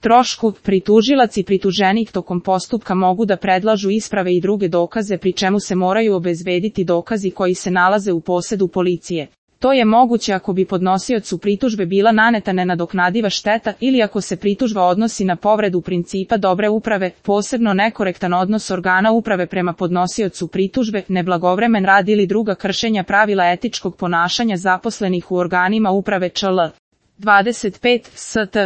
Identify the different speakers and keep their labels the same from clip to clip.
Speaker 1: trošku. Pritužilac i prituženik tokom postupka mogu da predlažu isprave i druge dokaze pri čemu se moraju obezbediti dokazi koji se nalaze u posedu policije. To je moguće ako bi podnosiocu pritužbe bila naneta nenadoknadiva šteta ili ako se pritužba odnosi na povredu principa dobre uprave, posebno nekorektan odnos organa uprave prema podnosiocu pritužbe, neblagovremen rad ili druga kršenja pravila etičkog ponašanja zaposlenih u organima uprave čl. 25 st.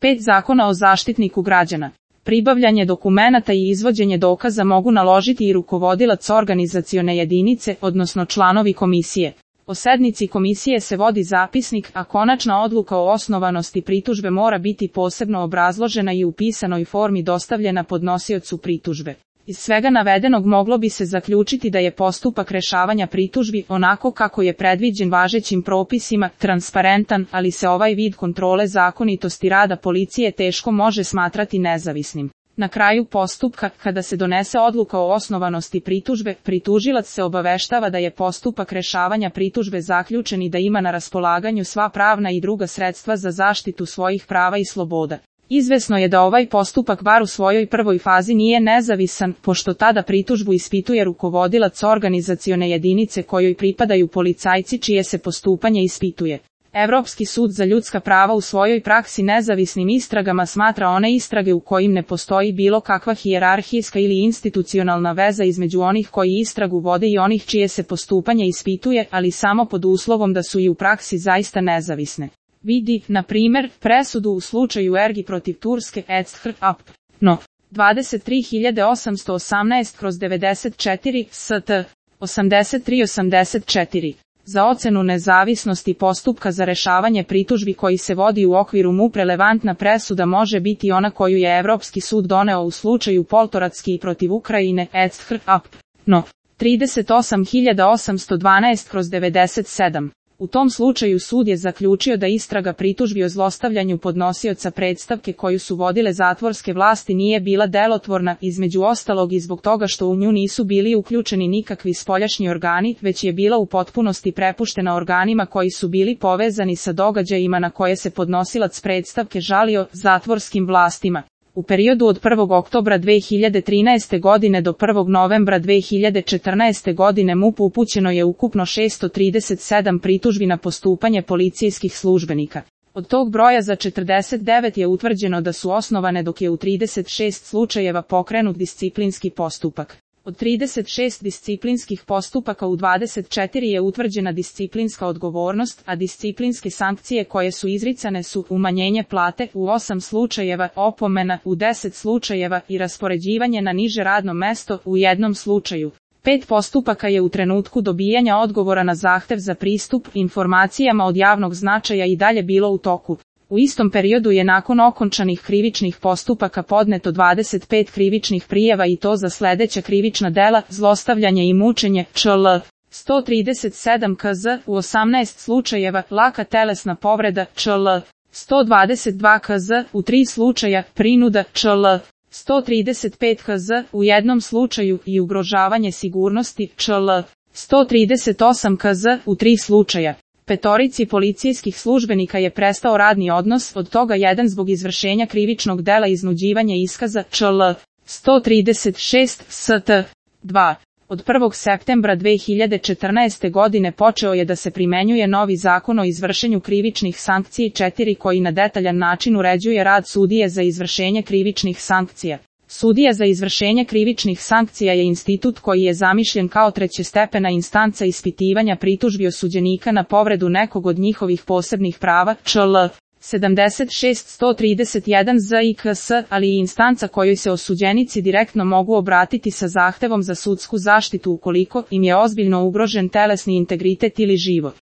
Speaker 1: 5 Zakona o zaštitniku građana. Pribavljanje dokumenata i izvođenje dokaza mogu naložiti i rukovodilac organizacione jedinice, odnosno članovi komisije. O sednici komisije se vodi zapisnik, a konačna odluka o osnovanosti pritužbe mora biti posebno obrazložena i u pisanoj formi dostavljena podnosiocu pritužbe. Iz svega navedenog moglo bi se zaključiti da je postupak rešavanja pritužbi, onako kako je predviđen važećim propisima, transparentan, ali se ovaj vid kontrole zakonitosti rada policije teško može smatrati nezavisnim. Na kraju postupka, kada se donese odluka o osnovanosti pritužbe, pritužilac se obaveštava da je postupak rešavanja pritužbe zaključen i da ima na raspolaganju sva pravna i druga sredstva za zaštitu svojih prava i sloboda. Izvesno je da ovaj postupak bar u svojoj prvoj fazi nije nezavisan, pošto tada pritužbu ispituje rukovodilac organizacione jedinice kojoj pripadaju policajci čije se postupanje ispituje. Evropski sud za ljudska prava u svojoj praksi nezavisnim istragama smatra one istrage u kojim ne postoji bilo kakva hijerarhijska ili institucionalna veza između onih koji istragu vode i onih čije se postupanje ispituje, ali samo pod uslovom da su i u praksi zaista nezavisne. Vidi, na primjer, presudu u slučaju Ergi protiv Turske etc. Ap. No. 23818/94 st. 83-84. Za ocenu nezavisnosti postupka za rešavanje pritužbi koji se vodi u okviru MUP relevantna presuda može biti ona koju je Evropski sud doneo u slučaju Poltoratski protiv Ukrajine etc. Ap. No. 38812/97. U tom slučaju sud je zaključio da istraga pritužbi o zlostavljanju podnosioca predstavke koju su vodile zatvorske vlasti nije bila delotvorna, između ostalog i zbog toga što u nju nisu bili uključeni nikakvi spoljašnji organi, već je bila u potpunosti prepuštena organima koji su bili povezani sa događajima na koje se podnosilac predstavke žalio, zatvorskim vlastima. U periodu od 1. oktobra 2013. godine do 1. novembra 2014. godine MUP upućeno je ukupno 637 pritužbi na postupanje policijskih službenika. Od tog broja za 49 je utvrđeno da su osnovane, dok je u 36 slučajeva pokrenut disciplinski postupak. Od 36 disciplinskih postupaka u 24 je utvrđena disciplinska odgovornost, a disciplinske sankcije koje su izricane su umanjenje plate u 8 slučajeva, opomena u 10 slučajeva i raspoređivanje na niže radno mesto u 1 slučaju. 5 postupaka je u trenutku dobijanja odgovora na zahtev za pristup informacijama od javnog značaja i dalje bilo u toku. U istom periodu je nakon okončanih krivičnih postupaka podneto 25 krivičnih prijava i to za sledeća krivična dela: zlostavljanje i mučenje, čl. 137 KZ, u 18 slučajeva, laka telesna povreda, čl. 122 KZ, u 3 slučaja, prinuda, čl. 135 KZ, u 1 slučaju i ugrožavanje sigurnosti, čl. 138 KZ, u 3 slučaja. 5 policijskih službenika je prestao radni odnos, od toga 1 zbog izvršenja krivičnog dela iznuđivanja iskaza, čl. 136 st. 2. Od 1. septembra 2014. godine počeo je da se primenjuje novi zakon o izvršenju krivičnih sankcija 4 koji na detaljan način uređuje rad sudije za izvršenje krivičnih sankcija. Sudija za izvršenje krivičnih sankcija je institut koji je zamišljen kao trećestepena instanca ispitivanja pritužbi osuđenika na povredu nekog od njihovih posebnih prava, čl. 76-131 ZIKS, ali i instanca kojoj se osuđenici direktno mogu obratiti sa zahtevom za sudsku zaštitu ukoliko im je ozbiljno ugrožen telesni integritet ili život.